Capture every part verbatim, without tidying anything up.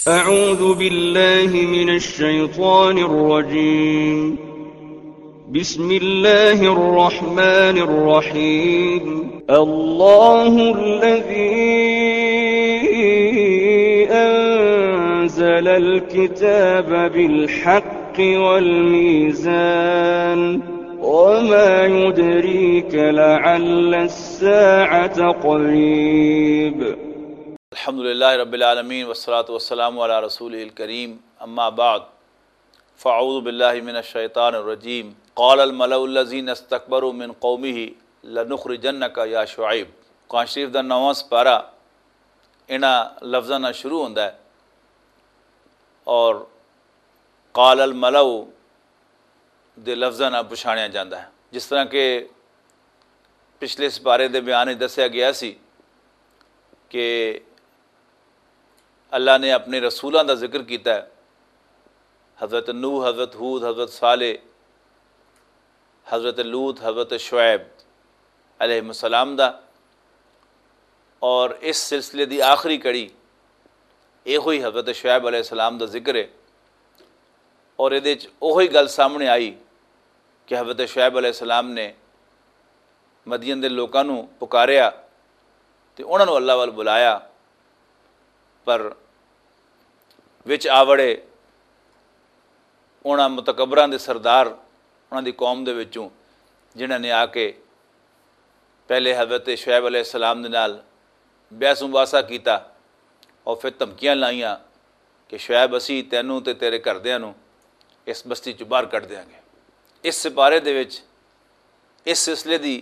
أعوذ بالله من الشيطان الرجيم. بسم الله الرحمن الرحيم. الله الذي أنزل الكتاب بالحق والميزان. وما يدريك لعل الساعة قريب. الحمد لله رب العالمين، والصلاة والسلام على رسوله الكريم. أما بعد، فأعوذ بالله من الشيطان الرجيم. قال الملأ الذين استكبروا من قومه لنخرجنك يا شعيب. قرآن شریف دا نواں سپارہ انہاں لفظاں نال شروع ہوندا ہے، اور قال الملأ دے لفظاں نال پچھاڑیا جاندا ہے۔ جس طرح کہ پچھلے سپارے دے بیان وچ دسیا گیا سی کہ اللہ نے اپنے رسولاں دا ذکر کیتا ہے، حضرت نوح، حضرت ہود، حضرت صالح، حضرت لوط، حضرت شعیب علیہ السلام دا، اور اس سلسلے دی آخری کڑی یہ ہوئی حضرت شعیب علیہ السلام دا ذکر ہے۔ اور یہ اوہی گل سامنے آئی کہ حضرت شعیب علیہ السلام نے مدین دے لوکاں نوں پکاریا تے انہاں نوں اللہ ول بلایا، پر وچ آوڑے انہاں متکبراں دے سردار، انہاں دی قوم دے وچوں، جنہاں نے آ کے پہلے حضرت شعیب علیہ السلام دے نال بحث مباحثہ کیتا اور پھر دھمکیاں لائیاں کہ شعیب، اسی تینوں تے تیرے گھردیاں نوں اس بستی چوں باہر کڈ دیاں گے۔ اس سپارے دے وچ اس سلسلے دی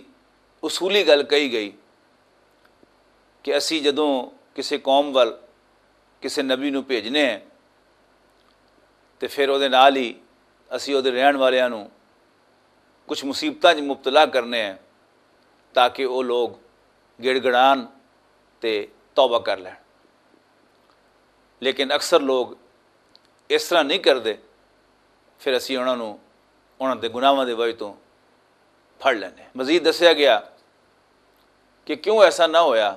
اصولی گل کہی گئی کہ اسی جدوں کسے قوم ول کسے نبی نوں بھیجنے ہیں تے پھر او دے نال ہی اسی او دے رہن والیاں نوں کچھ مصیبتاں 'چ مبتلا کرنے ہیں، تاکہ او لوگ گڑگڑان تے توبہ کر لین۔ لیکن اکثر لوگ اس طرح نہیں کردے، پھر اسی انہاں نوں انہاں دے گناہاں دے وجہ توں پھڑ لینے۔ مزید دسیا گیا کہ کیوں ایسا نہ ہویا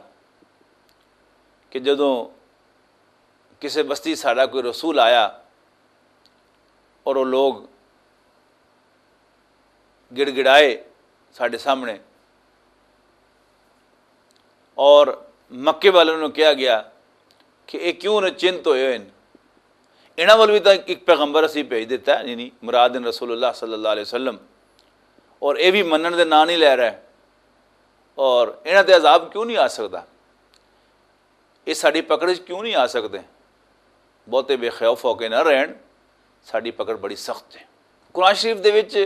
کہ جدوں کسے بستی ساڈا کوئی رسول آیا اور وہ لوگ گڑگڑائے ساڈے سامنے، اور مکے والوں نوں کہا گیا کہ یہ کیوں نچنت ہوئے ہوئے ہیں؟ انہاں ول بھی تاں ایک پیغمبر اسی بھیج دیتا ہے، یعنی مراد ان رسول اللہ صلی اللہ علیہ وسلم، اور یہ بھی منن دے نام نہیں لے رہا ہے، اور انہاں تے عذاب کیوں نہیں آ سکدا؟ یہ ساڈی پکڑ وچ کیوں نہیں آ سکدے؟ بہتے بے خوف ہو کے نہ رہن، ساڈی پکڑ بڑی سخت ہے۔ قرآن شریف دے وچ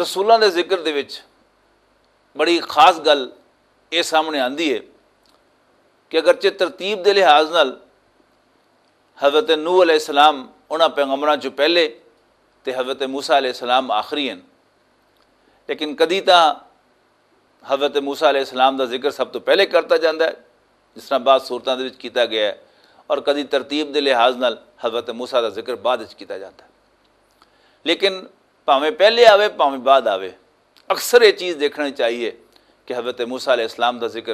رسولاں دے ذکر دے وچ بڑی خاص گل یہ سامنے آندی ہے کہ اگرچہ ترتیب دے لحاظ نال حضرت نوح علیہ السلام انہاں پیغمبراں چوں پہلے تے حضرت موسیٰ علیہ السلام آخری ہیں، لیکن کدی تاں حضرت موسیٰ علیہ السلام دا ذکر سب تو پہلے کرتا جاندا ہے، جس طرح بعض صورتاں دے وچ کیتا گیا ہے، اور کدی ترتیب دے لحاظ نال حضرت موسیٰ دا ذکر بعد وچ کیتا جاندا ہے۔ لیکن بھاویں پہلے آوے، بھاویں بعد آوے، اکثر یہ چیز دیکھنا چاہیے کہ حضرت موسیٰ علیہ السلام دا ذکر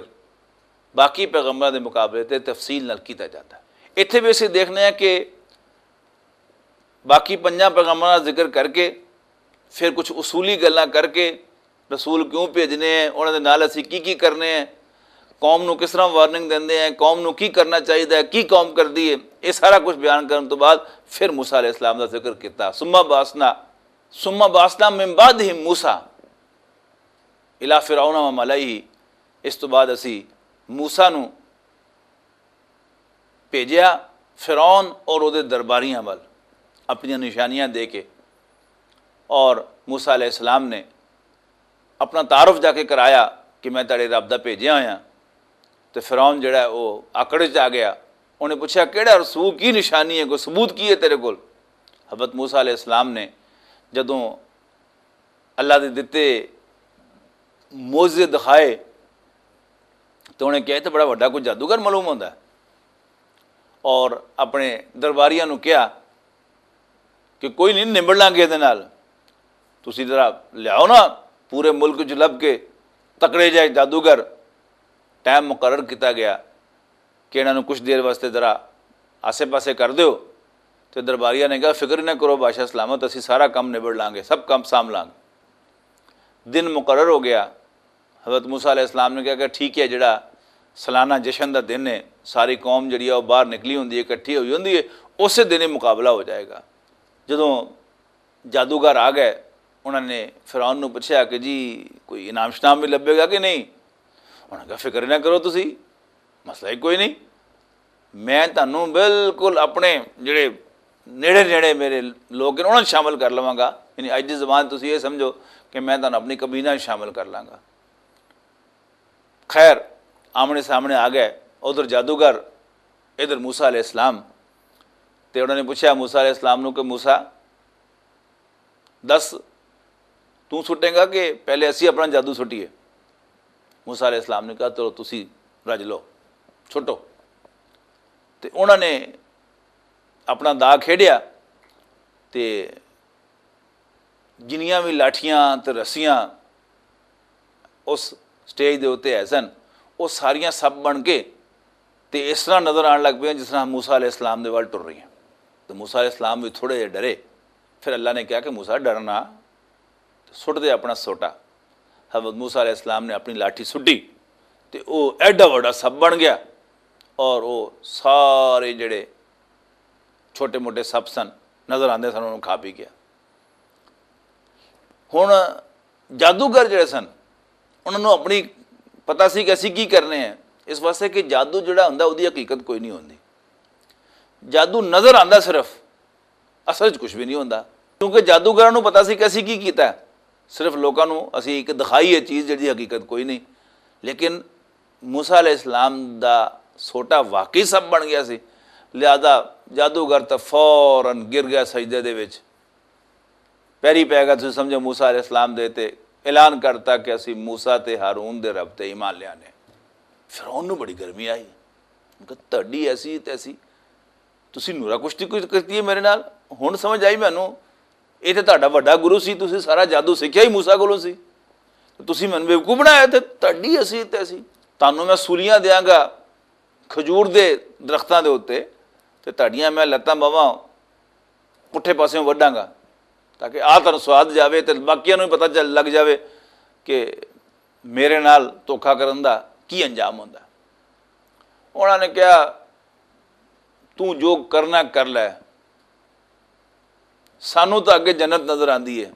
باقی پیغمبراں دے مقابلے تے تفصیل نال کیتا جاندا ہے۔ اتھے بھی اسی دیکھنے ہیں کہ باقی پنجاں پیغمبراں دا ذکر کر کے، پھر کچھ اصولی گلاں کر کے، رسول کیوں بھیجنے ہیں، انہاں دے نال اسی کی کی کرنے ہیں، قوم نوں کس طرح وارننگ دیندے ہیں، قوم نوں کی کرنا چاہیدا ہے، کی قوم کردی ہے، یہ سارا کچھ بیان کرن تو بعد پھر موسیٰ علیہ السلام دا ذکر کیتا۔ ثم بعثنا، ثم بعثنا من بعدہم موسیٰ الی فرعون و ملئہ۔ اس تو بعد اسی موسیٰ نوں بھیجیا فرعون اور اودے درباریاں ول اپنیاں نشانیاں دے کے، اور موسیٰ علیہ السلام نے اپنا تعارف جا کے کرایا کہ میں تیرے رب دا بھیجیا ہویا۔ تے فرعون جڑا ہے، وہ آکڑ وچ آ گیا۔ انہیں پوچھا، "کیڑا رسول، کی نشانی ہے، کوئی ثبوت کی ہے تیرے کول؟" حضرت موسیٰ علیہ السلام نے جدوں اللہ دے دتے معجزے دکھائے، تو انہیں کہا، "یہ تو بڑا وڈا کوئی جادوگر معلوم ہوندا ہے۔" اور اپنے درباریاں نوں کہا کہ کوئی نہیں، نبڑ لانگے دے نال، تسی ذرا لیاؤ نا پورے ملک چ لب کے تکڑے جائے جادوگر۔ ٹائم مقرر کیتا گیا کہ انہاں نوں کچھ دیر واسطے ذرا آسے پاسے کر دیو۔ تے درباریاں نے کہا، "فکر ہی نہ کرو بادشاہ سلامت، اسی سارا کم نبڑ لانگے، سب کم سام لانگے۔" دن مقرر ہو گیا۔ حضرت موسیٰ علیہ السلام نے کہا کہ ٹھیک ہے، جڑا سالانہ جشن دا دن ہے، ساری قوم جڑی ہے وہ باہر نکلی ہوندی ہے، اکٹھی ہوئی ہوندی ہے، اسے دن ہی مقابلہ ہو جائے گا۔ جدوں جادوگر آ گئے، انہاں نے فرعون نوں پوچھیا کہ جی، کوئی انعام شنام بھی لبھے گا کہ نہیں؟ انہاں کہا، "فکر نہ کرو تسی، مسئلہ ہی کوئی نہیں، میں تانوں بالکل اپنے جڑے نیڑے نیڑے میرے لوگ ہیں، انہاں 'چ شامل کر لواں گا۔" یعنی اج دی زبان تسی یہ سمجھو کہ میں تانوں اپنی کابینہ 'چ شامل کر لاں گا۔ خیر، آمنے سامنے آ گئے، ادھر جادوگر، ادھر موسیٰ علیہ السلام۔ تے انہوں نے پوچھا موسیٰ علیہ السلام نوں کہ موسیٰ، دس، تو سٹے گا کہ پہلے اسی اپنا جادو سٹیے؟ موسیٰ علیہ السلام نے کہا، "چلو، تسی رج لو، چھٹو۔" تے انہاں نے اپنا دا کھیڈیا، تے جنیاں وی لاٹھیاں تے رسیاں اس سٹیج دے اُتے ہے سن، او ساریاں سب بن کے تے اس طرح نظر آن لگ پیاں جس طرح موسیٰ علیہ السلام دے ول ٹر رہی ہیں۔ تے موسیٰ علیہ السلام وی تھوڑے جے ڈرے۔ پھر اللہ نے کہا کہ موسیٰ، ڈرنا، سٹ دے اپنا سوٹا۔ حضرت موسیٰ علیہ السلام نے اپنی لاٹھی سٹی تے او ایڈا وڈا سب بن گیا، اور او سارے جڑے چھوٹے موٹے سب سن، نظر آندے سن، انہوں کھا پی گیا۔ ہن جادوگر جڑے سن، انہاں نوں اپنی پتہ سی کہ اسی کی کرنے ہیں، اس واسطے کہ جادو جڑا ہوندا، اودی حقیقت کوئی نہیں ہوندی۔ جادو نظر آندا صرف، اصل وچ کچھ بھی نہیں ہوندا۔ کیونکہ جادوگراں نوں پتہ سی کہ اسی کی کیتا ہے، صرف لوکاں نوں اسی ایک دکھائی ہے چیز، جڑی حقیقت کوئی نہیں۔ لیکن موسیٰ علیہ السلام دا سوٹا واقعی سب بن گیا سی، لہذا جادوگر تے فوراً گر گیا سجدے دے وچ۔ پیری پے گیا، تسی سمجھو، موسیٰ علیہ السلام دے تے اعلان کرتا کہ اسی موسیٰ تے ہارون دے رب تے ایمان لیانے۔ فرعون نوں بڑی گرمی آئی، کہ تہاڈی ایسی تیسی، تسی نورا کشتی کوئی کرتی ہے میرے نال؟ ہن سمجھ آئی مینوں، اے تے تہاڈا وڈا گرو سی، تسی سارا جادو سکھیا ہی موسیٰ کولوں سی، تے تسی مینوں بیوقوف بنایا، تے تہاڈی ایسی تیسی، تانوں میں سولیاں دیاں گا کھجور دے درختاں دے اُتے، تے تہاڈیاں میں لتاں باواں پٹھے پاسے وڈاں گا، تاکہ آ تہاڈوں سواد جاوے تے باقیاں نوں وی پتہ چل لگ جاوے کہ میرے نال دھوکا کرن دا کی انجام ہوندا۔ انہاں نے کہا، "توں جو کرنا کر لے، سانوں تاں اگے جنت نظر آندی ہے،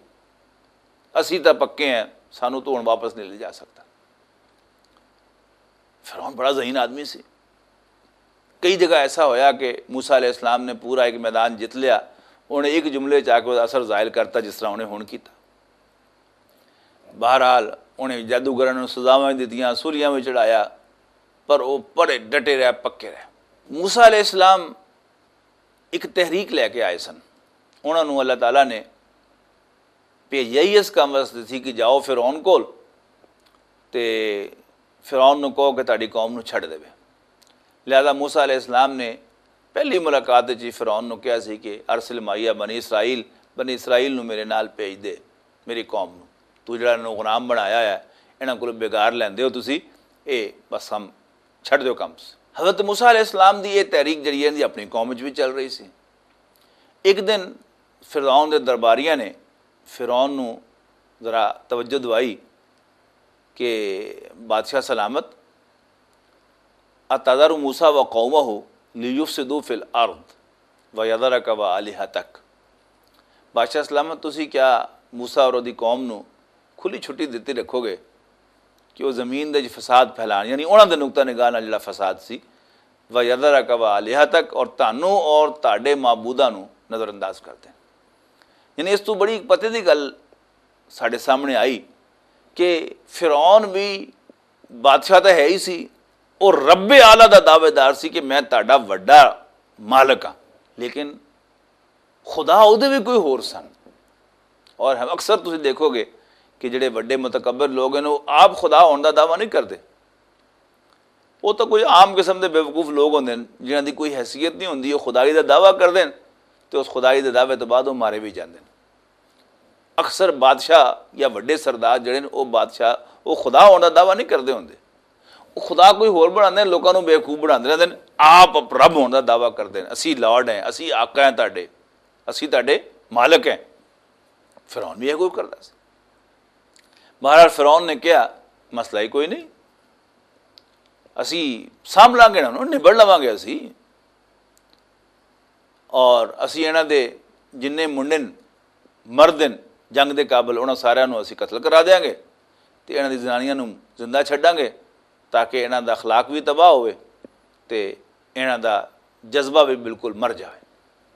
اسی تاں پکے ہیں، سانوں تو ہن واپس نہیں لے جا سکتا۔" فرعون بڑا ذہین آدمی سی۔ کئی جگہ ایسا ہویا کہ موسیٰ علیہ السلام نے پورا ایک میدان جت لیا، انہیں ایک جملے چ آ کے اثر ظاہر کرتا، جس طرح انہیں ہن کیتا۔ بہرحال، انہیں جادوگراں نوں سزاواں دتیاں، سولیاں وچ چڑھایا، پر وہ بڑے ڈٹے رہے، پکے رہے۔ موسیٰ علیہ السلام ایک تحریک لے کے آئے سن۔ انہاں نوں اللہ تعالیٰ نے بھیجیا ہی اس کام واسطے سی کہ جاؤ فرعون کول تے فرعون نوں کہو کہ تہاڈی قوم نوں چھڈ دیوے۔ لہذا موسیٰ علیہ السلام نے پہلی ملاقات وچ ہی فرعون نوں کہا سی کہ "ارسل معی بنی اسرائیل، بنی اسرائیل نوں میرے نال بھیج دے، میری قوم نوں۔ تو جڑا انہاں نوں غلام بنایا ہے، انہاں کولوں بیگار لیندے ہو تسی، اے بس ہم چھڈ دیو کم۔" حضرت موسیٰ علیہ السلام دی یہ تحریک جڑی ہے، اپنی قوم وچ بھی چل رہی سی۔ ایک دن فرعون دے درباریاں نے فرعون نوں ذرا توجہ دوائی کہ بادشاہ سلامت، "اتذر موسیٰ و قومہ لیفسدوا فی الارض و یذرک و آلہتک۔" بادشاہ سلامت، تسی کیا موسیٰ اور دی قوم نوں کھلی چھٹی دتی رکھو گے کہ وہ زمین دے وچ فساد پھیلان، یعنی انہاں دے نقطہ نگاہ نال جڑا فساد سی، "و یذرک و آلہتک"، اور تانوں اور تہاڈے معبوداں نوں نظر انداز کر دین۔ یعنی اس تو بڑی پتے دی گل ساڈے سامنے آئی کہ فرعون بھی بادشاہ تاں ہے ہی سی، اور رب اعلیٰ دا دعوے دار سی کہ میں تہاڈا وڈا مالک ہاں، لیکن خدا اودے بھی کوئی ہور سن۔ اور ہم اکثر تسی دیکھو گے کہ جڑے وڈے متکبر لوگ ہیں، وہ آپ خدا ہون دا دعویٰ نہیں کردے۔ وہ تو کوئی عام قسم دے بیوقوف لوگ ہوندے ہیں، جنہاں دی کوئی حیثیت نہیں ہوندی، وہ خدائی دا دعویٰ کردے ہیں، تے اس خدائی دے دعوے تو بعد وہ مارے بھی جاندے ہیں۔ اکثر بادشاہ یا وڈے سردار جڑے نے، وہ بادشاہ، وہ خدا ہون دا دعویٰ نہیں کردے ہوندے۔ خدا کوئی ہور بناندے نے، لوکاں نوں بیوقوف بناندے رہندے نے، آپ رب ہون دا دعویٰ کردے نے، "اسی لارڈ ہیں، اسی آقا ہیں تہاڈے، اسی تہاڈے مالک ہیں۔" فرعون بھی یہ کوئی کردا سی۔ بہرحال فرعون نے کہا، "مسئلہ ہی کوئی نہیں، اسی سامبھلاں گے انہاں نوں، نبڑ لواں گے اسی۔" اور اسی انہاں دے جنہیں منڈن مرد ہیں جنگ دے قابل، انہاں ساریاں نوں اسی قتل کرا دیاں گے تے انہاں دی زنانیاں نوں زندہ چھڈاں گے، تاکہ انہاں دا اخلاق بھی تباہ ہوئے تے انہاں دا جذبہ بھی بالکل مر جائے۔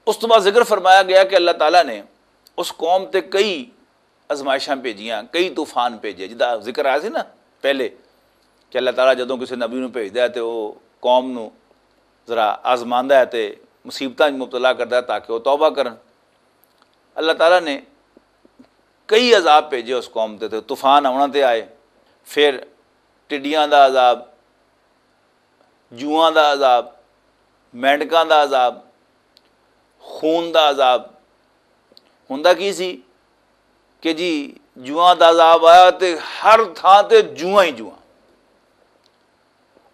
اس تو بعد ذکر فرمایا گیا کہ اللہ تعالیٰ نے اس قوم تے کئی آزمائشاں بھیجیاں، کئی طوفان بھیجے، جدا ذکر آیا سی نا پہلے کہ اللہ تعالیٰ جدوں کسی نبی نوں بھیجدا ہے تے وہ قوم نوں ذرا آزماندا ہے تے مصیبتاں وچ مبتلا کردا ہے تاکہ وہ توبہ کرن۔ اللہ تعالیٰ نے کئی عذاب بھیجے اس قوم تے، تے طوفان آونا تے آئے، پھر ٹڈیاں دا عذاب، جواں دا عذاب، مینڈکاں دا عذاب، خون دا عذاب۔ ہوندا کی سی کہ جی، جواں دا عذاب آیا تے ہر تھاں تے جواں ہی جواں۔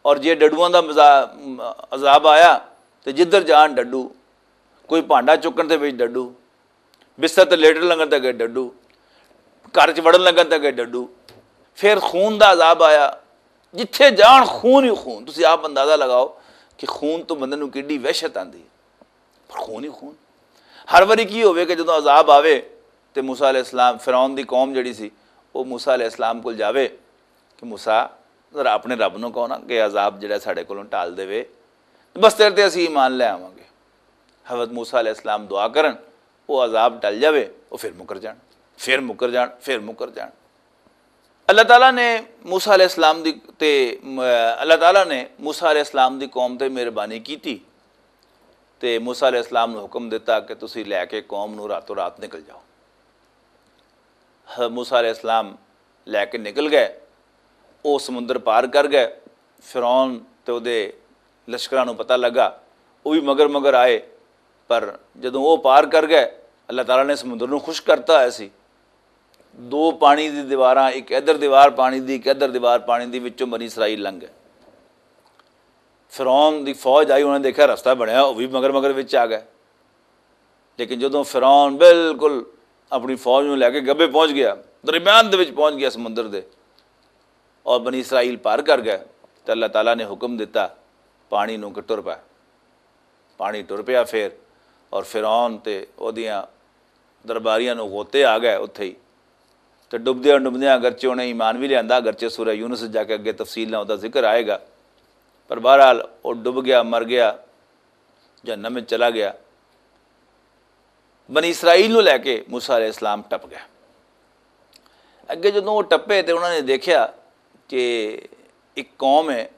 اور جے ڈڈواں دا مزا-، عذاب آیا تے جدھر جان ڈڈو، کوئی بھانڈا چکن دے وچ ڈڈو، بستر تے لیٹن لگن تے گئے ڈڈو، گھر چ وڑن لگن تے گئے ڈڈو۔ پھر خون دا عذاب آیا، جتھے جان خون ہی خون۔ تسی آپ اندازہ لگاؤ کہ خون تو بندے نوں کیڈی وحشت آندی ہے، پر خون ہی خون۔ ہر واری کی ہوئے کہ جدوں عذاب آوے تے موسیٰ علیہ السلام، فرعون دی قوم جڑی سی، وہ موسیٰ علیہ السلام کول جاوے کہ موسیٰ، ذرا اپنے رب نوں کہو نا کہ عذاب جڑا ساڈے کولوں ٹال دے وے، بس تیرے تے اسی ایمان لے آواں گے۔ حضرت موسیٰ علیہ السلام دعا کرن، وہ عذاب ٹل جاوے، وہ پھر مکر جان، پھر مکر جان، پھر مکر جان۔ اللہ تعالیٰ نے موسیٰ علیہ السلام دی تے، اللہ تعالیٰ نے موسیٰ علیہ السلام دی قوم تے مہربانی کیتی تے موسیٰ علیہ السلام نوں حکم دتا کہ تسی لے کے قوم نوں راتوں رات نکل جاؤ۔ حضرت موسیٰ علیہ السلام لے کے نکل گئے، وہ سمندر پار کر گئے۔ فرعون تے اودے لشکراں نوں پتہ لگا، وہ بھی مگر مگر آئے، پر جدوں وہ پار کر گئے، اللہ تعالیٰ نے سمندر نوں خشک کرتا ہویا سی۔ دو پانی دی دیواراں، ایک ادھر دیوار پانی دی، ایک ادھر دیوار پانی دی، وچوں بنی اسرائیل لنگھ گئے۔ فرعون دی فوج آئی، انہاں نے دیکھا رستہ بنیا، وہ بھی مگر مگر وچ آ گئے۔ لیکن جدوں فرعون بالکل اپنی فوج نوں لے کے گبے پہنچ گیا، درمیان دے وچ پہنچ گیا سمندر دے، اور بنی اسرائیل پار کر گئے، تے اللہ تعالیٰ نے حکم دتا پانی نوں کہ ٹر پے۔ پانی ٹر پیا پھر، اور فرعون تے اودیاں درباریاں نوں غوطے آ گئے اتھے ہی۔ تے ڈبدیاں ڈبدیاں اگرچہ انہیں ایمان بھی لیاندا، اگرچہ سورہ یونس جا کے اگے تفصیل نال اوداں ذکر آئے گا، پر بہرحال وہ ڈب گیا، مر گیا، جہنم وچ چلا گیا۔ بنی اسرائیل نوں لے کے موسیٰ علیہ السلام ٹپ گیا۔ اگے جدوں وہ ٹپے تے انہاں نے دیکھیا کہ ایک قوم ہے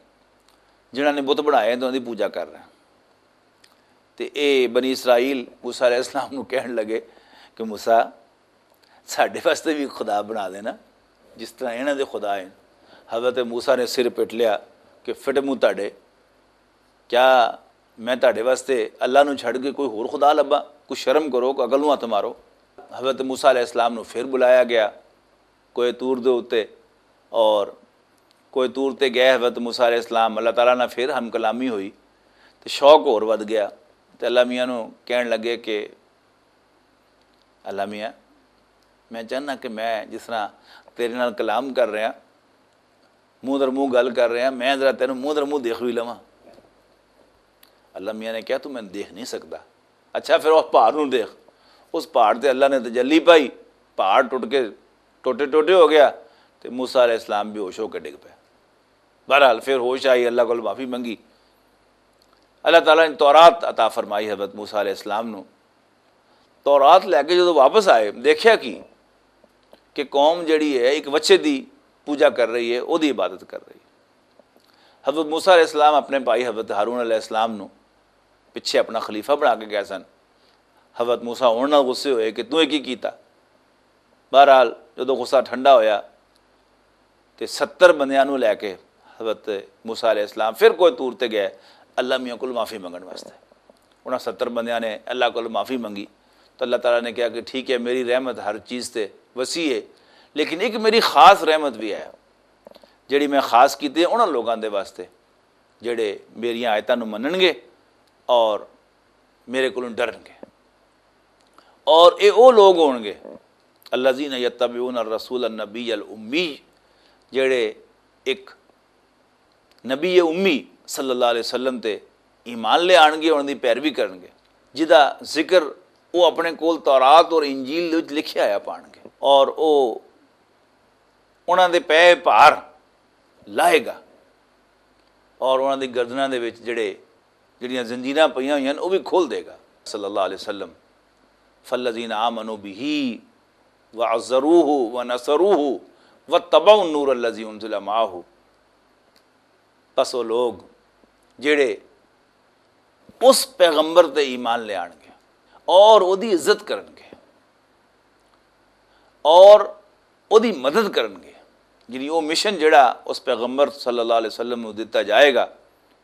جنہاں نے بت بنائے تے انہاں دی پوجا کر رہے ہیں۔ تے اے بنی اسرائیل موسیٰ علیہ السلام نوں کہن لگے کہ موسیٰ، ساڈے واسطے بھی خدا بنا دینا، جس طرح انہاں دے خدا ہیں۔ حضرت موسیٰ نے سر پٹ لیا کہ فٹ منہ تہاڈے، کیا میں تہاڈے واسطے اللہ نوں چھڈ کے کوئی ہور خدا لبا؟ کوئی شرم کرو، کوئی عقل نوں ہتھ مارو۔ حضرت موسیٰ علیہ السلام نوں پھر بلایا گیا کوہ طور دے اُتے، اور کوہ طور تے گئے حضرت موسیٰ علیہ السلام، اللہ تعالیٰ نال پھر ہم کلامی ہوئی، تے شوق ہور ودھ گیا۔ تے اللہ میاں نوں کہن لگے کہ اللہ میاں، میں چاہنا کہ میں جس طرح تیرے نال کلام کر رہا، منہ در منہ گل کر رہا، میں ذرا تینوں منہ در منہ دیکھ بھی لواں۔ اللہ میاں نے کہا، تو میں دیکھ نہیں سکتا۔ اچھا، پھر اس پہاڑ نوں دیکھ۔ اس پہاڑ تے اللہ نے تجلی پائی، پہاڑ ٹوٹ کے ٹوٹے ٹوٹے ہو گیا، تے موسیٰ علیہ السلام بے ہوش ہو کے ڈگ پے۔ بہرحال پھر ہوش آئی، اللہ کول معافی منگی۔ اللہ تعالیٰ نے تورات عطا فرمائی حضرت موسیٰ علیہ السلام نوں۔ تورات لے کے جدوں واپس آئے، دیکھیا کی کہ قوم جڑی ہے ایک وچے دی پوجا کر رہی ہے، او دی عبادت کر رہی ہے۔ حضرت موسیٰ علیہ السلام اپنے بھائی حضرت ہارون علیہ السلام نوں پچھے اپنا خلیفہ بنا کے گئے سن۔ حضرت موسیٰ انہاں نال غصے ہوئے کہ تو یہ کی کیتا؟ بہرحال جدوں غصہ ٹھنڈا ہویا تے ستر بندیاں نوں لے کے حضرت موسیٰ علیہ السلام پھر کوہ طور تے گئے اللہ میاں کول معافی منگن واسطے۔ انہاں ستر بندیاں نے اللہ کول معافی منگی، تو اللہ تعالیٰ نے کہا کہ ٹھیک ہے، میری رحمت ہر چیز تے وسیع ہے، لیکن ایک میری خاص رحمت بھی ہے۔ جڑی میں خاص کیتی ہے انہاں لوگاں دے واسطے، جڑے میریاں آیتاں نوں منن گے اور میرے کولوں ڈرن گے۔ اور اے او لوگ ہون گے، الذین یتبعون الرسول النبی الامی، جڑے ایک نبی امی صلی اللہ علیہ وسلم تے ایمان لے آن گے، انہاں دی پیروی کرن گے، جدا ذکر وہ اپنے کول تورات اور انجیل دے وچ لکھیا آیا پان گے، اور وہ انہاں دے پے بھار لائے گا، اور انہاں دی گردناں دے وچ جڑے، جڑیاں زنجیراں پئیاں ہوئیاں نے، وہ بھی کھول دے گا۔ صلی اللہ علیہ وسلم، فالذین آمنوا به وعزروه ونصروه واتبعوا النور الذي انزل معه۔ پس وہ لوگ جڑے اس پیغمبر تے ایمان لے آن گے اور وہ دی عزت کرن گے اور وہ دی مدد کرن گے، یعنی وہ مشن جڑا اس پیغمبر صلی اللہ علیہ وسلم نو دتا جائے گا،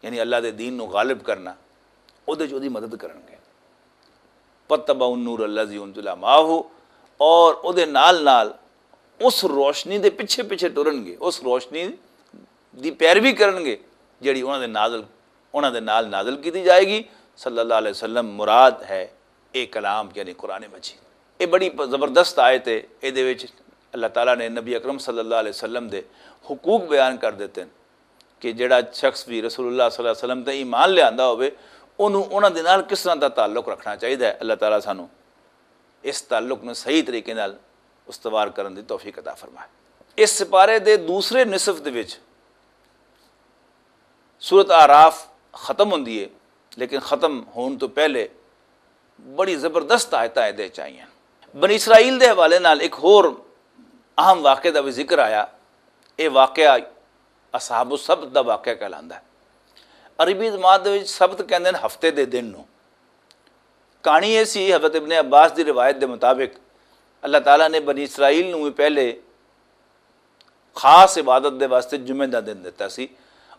یعنی اللہ دے دین نو غالب کرنا، وہ دی مدد کرن گے۔ پتبا النور اللہ زی انزل معاہ، اور وہ دے نال نال اس روشنی دے پچھے پچھے ٹرن گے، اس روشنی دی پیروی کرن گے، جڑی انہاں دے نازل، انہاں دے نال نازل کیتی جائے گی۔ صلی اللہ علیہ وسلم مراد ہے اے کلام، یعنی قرآن مجید۔ اے بڑی پ-، زبردست آیت ہے۔ اے دے وچ اللہ تعالیٰ نے نبی اکرم صلی اللہ علیہ وسلم دے حقوق بیان کر دیتے ہیں کہ جڑا شخص بھی رسول اللہ صلی اللہ علیہ وسلم تے ایمان لے آندا ہوئے، انہوں، انہاں دے نال کس طرح دا تعلق رکھنا چاہیے۔ اللہ تعالیٰ سانو اس تعلق نوں صحیح طریقے نال استوار کرن دی توفیق عطا فرمائے۔ اس سپارے دے دوسرے نصف دے وچ سورت آراف ختم ہوندی ہے، لیکن ختم ہون تو پہلے بڑی زبردست آیتاں ایدے چ آئیاں۔ بنی اسرائیل دے حوالے نال ایک ہور اہم واقعے دا بھی ذکر آیا۔ یہ واقعہ اصحاب السبت دا واقعہ کہلاندا ہے۔ عربی زبان دے وچ سبت کہندے نے ہفتے دے دن نوں۔ کہانی یہ سی، حضرت ابن عباس دی روایت دے مطابق اللہ تعالیٰ نے بنی اسرائیل نوں بھی پہلے خاص عبادت دے واسطے جمعے دا دن دتا سی،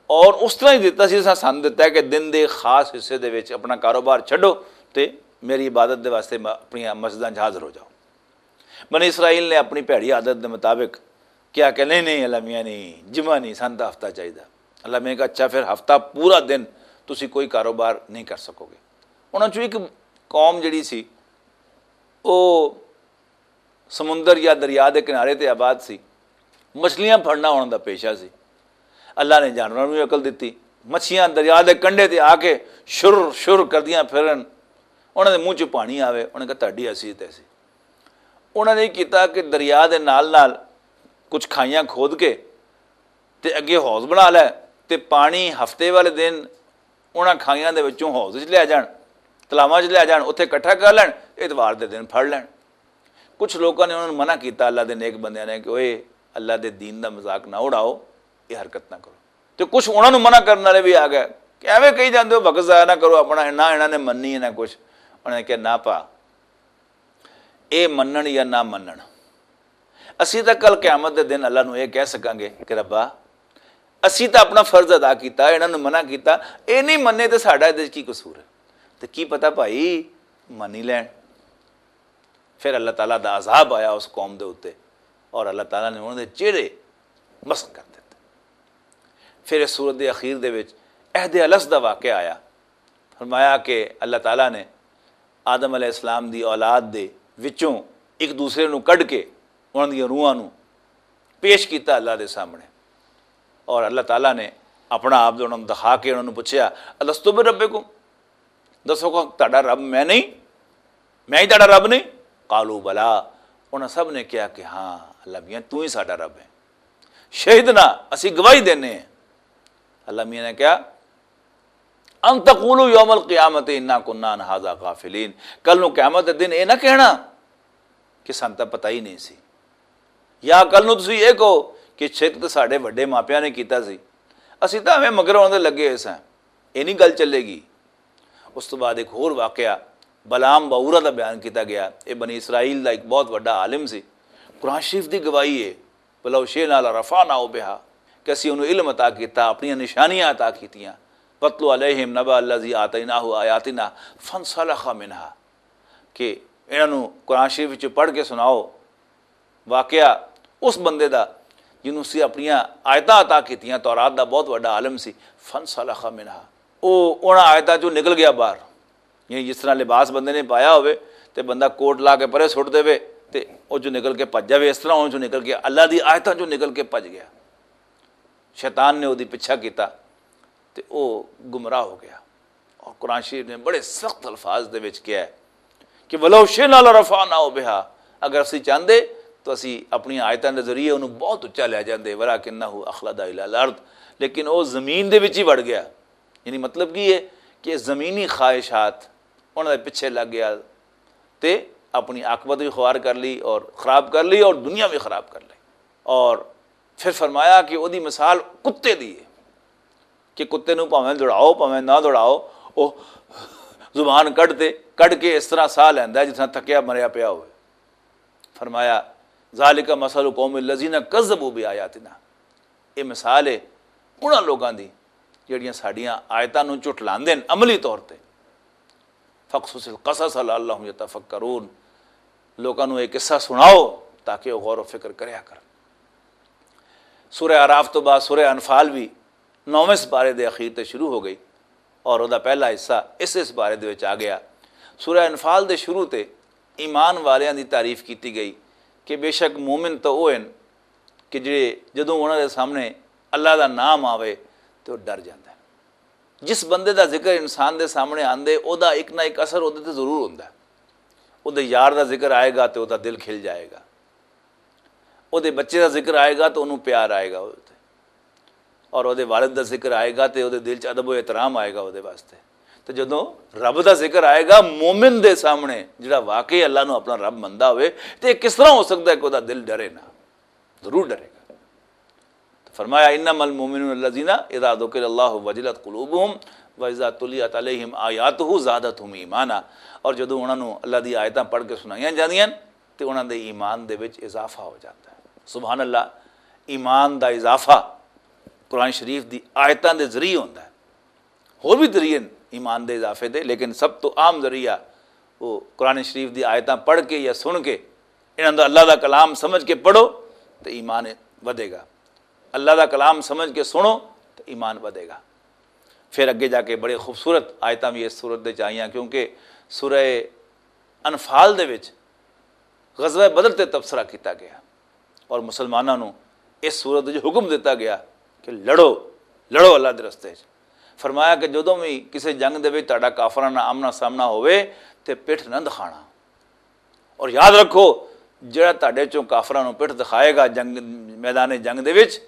اور اس طرح ہی دتا سی، اساں سن دتا ہے کہ دن دے خاص حصے دے وچ اپنا کاروبار چھڈو تے میری عبادت دے واسطے م-، اپنی مسجداں 'چ حاضر ہو جاؤ۔ بنی اسرائیل نے اپنی بھیڑی عادت دے مطابق کیا کہ نہیں، نہیں، اللہ میاں، نہیں، جمعہ نہیں، سن تاں ہفتہ چاہیدا۔ اللہ میاں کہا، اچھا، پھر ہفتہ پورا دن تسی کوئی کاروبار نہیں کر سکو گے۔ انہاں چوں ایک قوم جڑی سی، وہ سمندر یا دریا دے کنارے تے آباد سی۔ مچھلیاں پھڑنا انہاں دا پیشہ سی۔ اللہ نے جانوراں نوں عقل دتی۔ مچھیاں دریا دے کنڈے تے آ کے شر شر کردیاں پھرن۔ انہاں دے منہ چ پانی آوے، انہاں کہا، "تہاڈی حیثیت ایسی۔" انہاں نے کیتا کہ دریا دے نال نال کچھ کھائیاں کھود کے تے اگے حوض بنا لے، تے پانی ہفتے والے دن انہاں کھائیاں دے وچوں حوض وچ لے جان، تلاواں وچ لے جان، اتھے اکٹھا کر لین، اتوار دے دن پھڑ لین۔ کچھ لوکاں نے انہاں نوں منع کیتا، اللہ دے نیک بندیاں نے، کہ اوئے، اللہ دے دین دا مذاق نہ اڑاؤ، یہ حرکت نہ کرو۔ تے کچھ انہاں نوں منع کرن والے بھی آ گئے کہ ایویں کہی جاندے ہو، وقت ضائع نہ کرو اپنا، نہ انہاں نے مننی ہے نہ کچھ۔ انہاں نے کہا، نہ پا، اے منن یا نہ منن، اسی تاں کل قیامت دے دن اللہ نوں اے کہہ سکاں گے کہ ربا، اسی تاں اپنا فرض ادا کیتا، انہاں نوں منع کیتا، اے نہیں مننے تے ساڈا ادے وچ کی قصور ہے؟ تے کی پتہ بھائی، منی لین۔ پھر اللہ تعالیٰ دا عذاب آیا اس قوم دے اُتے، اور اللہ تعالیٰ نے انہاں دے چہرے مسخ کر دتے۔ پھر اس سورت دے اخیر دے وچ عہد الس دا واقعہ آیا۔ فرمایا کہ اللہ تعالیٰ نے آدم علیہ السلام دی اولاد دے وچوں ایک دوسرے نوں کڈ کے انہاں دیاں روحاں نوں پیش کیتا اللہ دے سامنے، اور اللہ تعالیٰ نے اپنا آپ انہاں نوں دکھا کے انہاں نوں پوچھیا، "الستو بربکم؟" دسو کہ تہاڈا رب میں نہیں؟ میں ہی تہاڈا رب نہیں؟ قالوا بلا۔ انہاں سب نے کہا کہ ہاں اللہ میاں، تو ہی ساڈا رب ہے۔ شہدنا، اسی گواہی دینے ہیں۔ اللہ میاں نے کہا، ان تقولوا یوم القیامت انا کنا عن ھذا غافلین، کل نو قیامت دے دن اے نہ کہنا کہ سانوں تاں پتہ ہی نہیں سی۔ یا کل نو تسی اے کہو کہ شرک تے ساڈے وڈے ماپیاں نے کیتا سی، اسی تاں ایویں مگر انہاں دے لگے ہوئے ساں، اے نہیں گل چلے گی۔ اس تو بعد ایک ہور واقعہ بلعام باورہ دا بیان کیتا گیا۔ اے بنی اسرائیل دا ایک بہت وڈا عالم سی، قرآن شریف دی گواہی ہے، ولو شئنا لرفعناہ بہا، کہ اسی انہوں علم عطا کیتا، اپنی نشانیاں عطا کیتیاں۔ واتل علیہم نبأ الذی آتیناہ آیاتنا فانسلخ منہا، کہ انہاں نوں قرآن شریف وچ پڑھ کے سناؤ واقعہ اس بندے دا جنوں سی اپنیاں آیتاں عطا کیتیاں، تورات دا بہت وڈا عالم سی۔ فن سلخ منہا، او انہاں آیتاں چوں نکل گیا باہر۔ یعنی جس طرح لباس بندے نے پایا ہوئے تے بندہ کوٹ لا کے پرے سٹ دے، تے او چوں نکل کے پج جاوے، اس طرح انہاں چوں نکل کے، اللہ دی آیتاں چوں نکل کے پج گیا۔ شیطان نے اودی پیچھا کیتا تے او گمراہ ہو گیا۔ اور قرآن شریف نے بڑے سخت الفاظ دے وچ کہا ہے کہ "ولو شئنا لرفعناہ بہا"، اگر اسی چاہندے تو اسی اپنی آیتاں دے ذریعے انہوں بہت اچا لے جاندے، "ولکنہ اخلد الی الارض"، لیکن او زمین دے وچ ہی وڑ گیا۔ یعنی مطلب کی ہے کہ زمینی خواہشات انہاں دے پیچھے لگ گیا تے اپنی عاقبت بھی خوار کر لی اور خراب کر لی اور دنیا بھی خراب کر لی۔ اور پھر فرمایا کہ اودی مثال کتے دی ہے کہ کتے نوں بھاویں دوڑاؤ، بھاویں نہ دوڑاؤ، او زبان کڈ تے، کڈ کے اس طرح ساہ لیندا ہے جس طرح تھکیا مریا پیا ہوئے۔ فرمایا، "ذالک مثل القوم الذین کذبوا بآیاتنا"، یہ مثال ہے انہاں لوگاں دی جڑیاں ساڈیاں آیتاں نوں جھٹلاندے نے عملی طور تے۔ "فقصص القصص لعلہم یتفکرون"، لوگاں نوں یہ قصہ سناؤ تاکہ وہ غور و فکر کریا کرن۔ سورہ اعراف تو بعد سورہ انفال بھی نویں سپارے دے اخیر تے شروع ہو گئی اور ادا پہلا حصہ اس سپارے دے وچ آ گیا۔ سورہ انفال دے شروع تے ایمان والیاں دی تعریف کیتی گئی کہ بے شک مومن تو وہ ہیں کہ جڑے جدوں انہاں دے سامنے اللہ دا نام آوے تو ڈر جاندے ہیں۔ جس بندے دا ذکر انسان دے سامنے آندے، او دا ایک نہ ایک اثر اودے تے ضرور ہوندا ہے۔ اودے یار دا ذکر آئے گا تے او دا دل کھل جائے گا۔ اودے بچے دا ذکر آئے گا تے اونوں پیار آئے گا اودے تے۔ اور اودے والد دا ذکر آئے گا تے اودے دل چ ادب و احترام آئے گا اودے واسطے۔ تے جدوں رب دا ذکر آئے گا مومن دے سامنے، جڑا واقعی اللہ نو اپنا رب مندا ہوئے، تے کس طرح ہو سکدا ہے کہ اودے دل ڈرے نہ؟ ضرور ڈرے گا۔ تو فرمایا، "انما المؤمنون الذین اذا ذکر اللہ وجلت قلوبہم واذا تلیت علیہم آیاتہ زادتہم ایمانا"، اور جدوں انہاں نوں اللہ دی آیتاں پڑھ کے سنائیاں جاندیاں تے انہاں دے ایمان دے وچ اضافہ ہو جاندا ہے۔ سبحان اللہ، ایمان دا اضافہ قرآن شریف دی آیتاں دے ذریعے ہوندا ہے۔ ہور بھی ذریعے نے ایمان دے اضافے دے، لیکن سب تو اہم ذریعہ وہ قرآن شریف دی آیتاں پڑھ کے یا سن کے، انہاں دا اللہ دا کلام سمجھ کے پڑھو، تے ایمان ودے گا۔ اللہ دا کلام سمجھ کے سنو، تے ایمان ودے گا۔ پھر اگے جا کے بڑے خوبصورت آیتاں بھی اس سورت دے چ آئیاں، کیونکہ سورہ انفال دے وچ غزوہ بدر تے تبصرہ کیتا گیا اور مسلماناں نوں اس سورت وچ حکم دتا گیا کہ لڑو، لڑو اللہ دے رستے وچ۔ فرمایا کہ جدوں بھی کسے جنگ دے وچ تہاڈا کافراں نال آمنا سامنا ہووے تے پٹھ نہ دکھانا۔ اور یاد رکھو، جڑا تہاڈے چوں کافراں نوں پٹھ دکھائے گا جنگ، میدان جنگ دے وچ،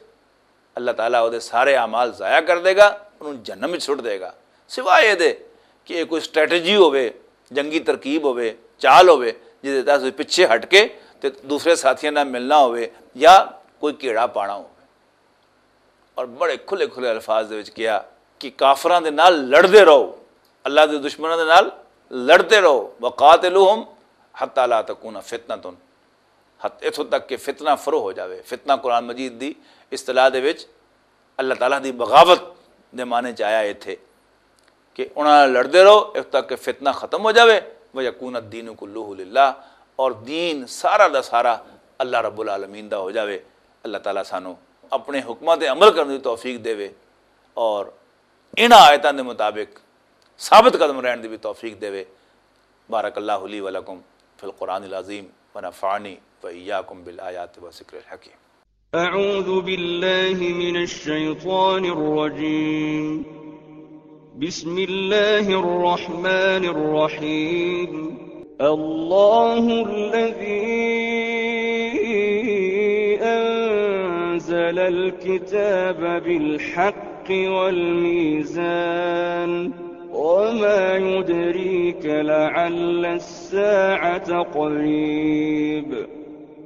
اللہ تعالیٰ اودے سارے اعمال ضائع کر دے گا، انہوں جہنم وچ سٹ دے گا۔ سوائے اے دے کہ اے کوئی سٹریٹجی ہووے، جنگی ترکیب ہووے، چال ہووے، جس دے تحت پچھے ہٹ کے تے دوسرے ساتھیاں نال ملنا ہووے یا کوئی کیڑا پانا ہووے۔ اور بڑے کھلے کھلے الفاظ دے وچ کہیا کہ کافراں دے نال لڑدے رہو، اللہ دے دشمناں دے نال لڑدے رہو، وقاتلوہم حتی لا تکون فتنۃ، حت-، اتھوں تک کہ فتنہ فرو ہو جاوے۔ فتنہ قرآن مجید دی اصطلاح دے وچ اللہ تعالیٰ دی بغاوت دے معنی چ آیا ایتھے کہ انہاں نال لڑدے رہو اتھوں تک کہ فتنہ ختم ہو جاوے، ویکون الدین کلہ للہ، اور دین سارا دا سارا اللہ رب العالمین دا ہو جاوے۔ اللہ تعالیٰ سانو اپنے حکماں تے عمل کرنے دی توفیق دے اور انہاں آیتاں دے مطابق ثابت قدم رہن دی بھی توفیق دے۔ بارک اللہ لی ولکم فی القرآن العظیم ونفعنی وإیاکم بالآیات و ذکر الحکیم۔ أعوذ بالله من الشيطان الرجيم. بسم الله الرحمن الرحيم. الله الذي أنزل الكتاب بالحق والميزان. وما يدريك لعل الساعة قريب.